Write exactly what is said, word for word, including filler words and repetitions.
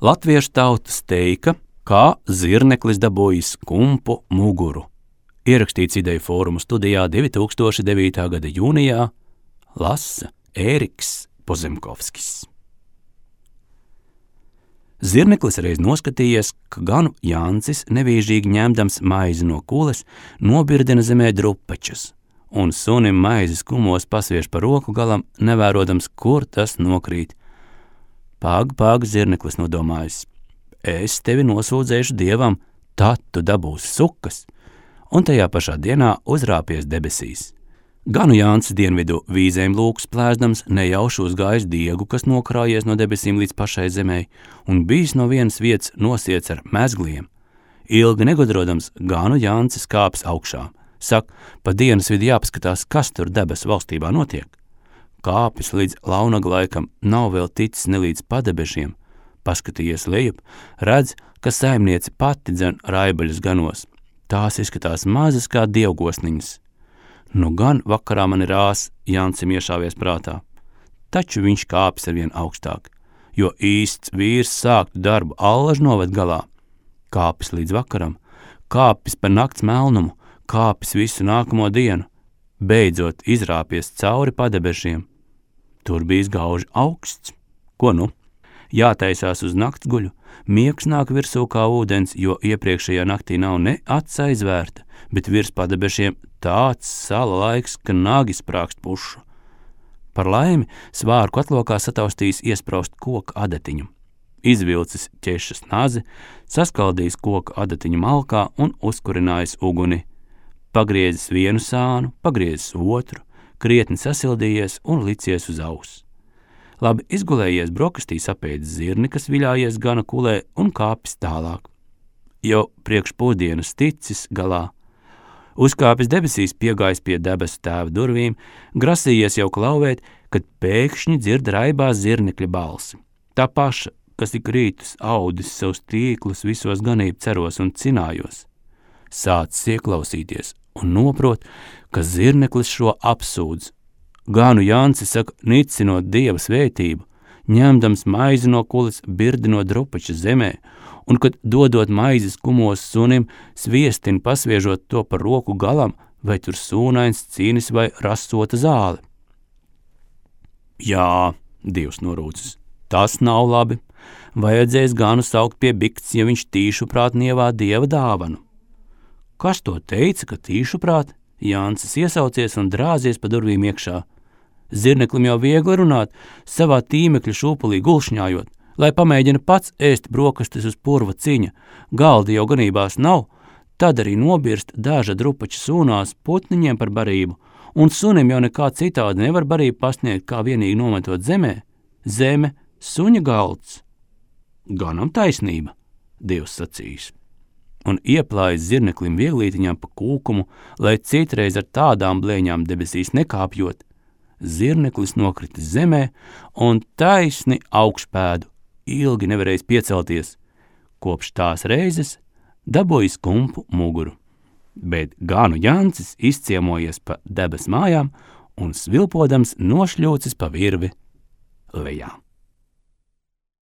Latviešu tautas teika, kā zirneklis dabūjis kumpu muguru. Ierakstīts Ideju fórumu studijā divi tūkstoši devītā gada jūnijā, lasa Ēriks Pozemkovskis. Zirneklis reiz noskatījies, ka ganu Jancis nevīžīgi ņemdams maizi no kules nobirdina zemē drupačus, un sunim maizes kumos pasviež pa roku galam, nevērodams, kur tas nokrīt. Pag, pag, zirneklis nodomājis, es tevi nosūdzēšu dievam, tad tu dabūsi sukas, un tajā pašā dienā uzrāpies debesīs. Ganu Jānis dienvidu vīzēm lūks plēsdams nejauši uzgājis diegu, kas nokrājies no debesīm līdz pašai zemei, un bijis no vienas vietas nosiets ar mezgliem. Ilgi negudrodams, Ganu Jānis kāps augšā. Sak, pa dienas vidi jāpaskatās, kas tur debesu valstībā notiek. Kāpis līdz launaglaikam nav vēl ticis nelīdz padebešiem. Paskatījies lejup, redz, ka saimniece pati dzen raibaļus ganos. Tās izskatās mazas kā dievgosniņas. Nu gan vakarā man ir ās, Jāncim iešāvies prātā. Taču viņš kāpis arvien augstāk, jo īsts vīrs sāktu darbu allaž noved galā. Kāpis līdz vakaram, kāpis par nakts melnumu, kāpis visu nākamo dienu, beidzot izrāpies cauri padebešiem. Tur bijis gauži augsts. Ko nu? Jātaisās uz naktsguļu, miegs nāk virsū kā ūdens, jo iepriekšējā naktī nav ne acs aizvērta, bet virs padebešiem tāds sala laiks, ka nagi sprākst pušu. Par laimi svārku atlokā sataustījis iespraust koka adatiņu. Izvilcis ķešas nazi, saskaldījis koka adatiņu malkā un uzkurinājis uguni. Pagriezis vienu sānu, pagriezis otru, krietni sasildījies un licies uz aus. Labi izgulējies brokastīs apēdis zirni, kas viļājies gana kulē un kāpis tālāk. Jau priekš pusdienas ticis galā. Uzkāpis debesīs, piegājis pie debesu tēva durvīm, grasījies jau klauvēt, kad pēkšņi dzird raibā zirnekļa balsi. Tā paša, kas ik rītus audis savus tīklus visos ganību ceros un cinājos. Sācis ieklausīties un noprot, ka zirneklis šo apsūdz. Ganu Jānis saka, nicinot dieva svētību, ņemdams maizi no kules, birdinot drupaču zemē, un kad dodot maizes kumos sunim, sviestin pasviežot to par roku galam, vai tur sūnains cīnis vai rasota zāle. Jā, dievs norūcis, tas nav labi. Vajadzēs Ganu saukt pie bikts, ja viņš tīšuprāt nievā dieva dāvanu. Kas to teica, ka tīšuprāt? Jānis iesaucies un drāzies pa durvīm iekšā. Zirneklim jau viegli runāt, savā tīmekļa šūpulī gulšņājot, lai pamēģina pats ēst brokastis uz purva ciņa, galdi jau ganībās nav, tad arī nobirst daža drupača sūnās putniņiem par barību, un sunim jau nekā citādi nevar barību pasniegt, kā vienīgi nometot zemē. Zeme, suņa galds. Ganam taisnība, dievs sacījis. Un ieplājis zirneklim vieglītiņām pa kūkumu, lai citreiz ar tādām blēņām debesīs nekāpjot. Zirneklis nokritis zemē un taisni augšpēdu, ilgi nevarējis piecelties. Kopš tās reizes dabūjis kumpu muguru. Bet Ganu Jānis izciemojies pa debes mājām un svilpodams nošļūcis pa virvi lejā.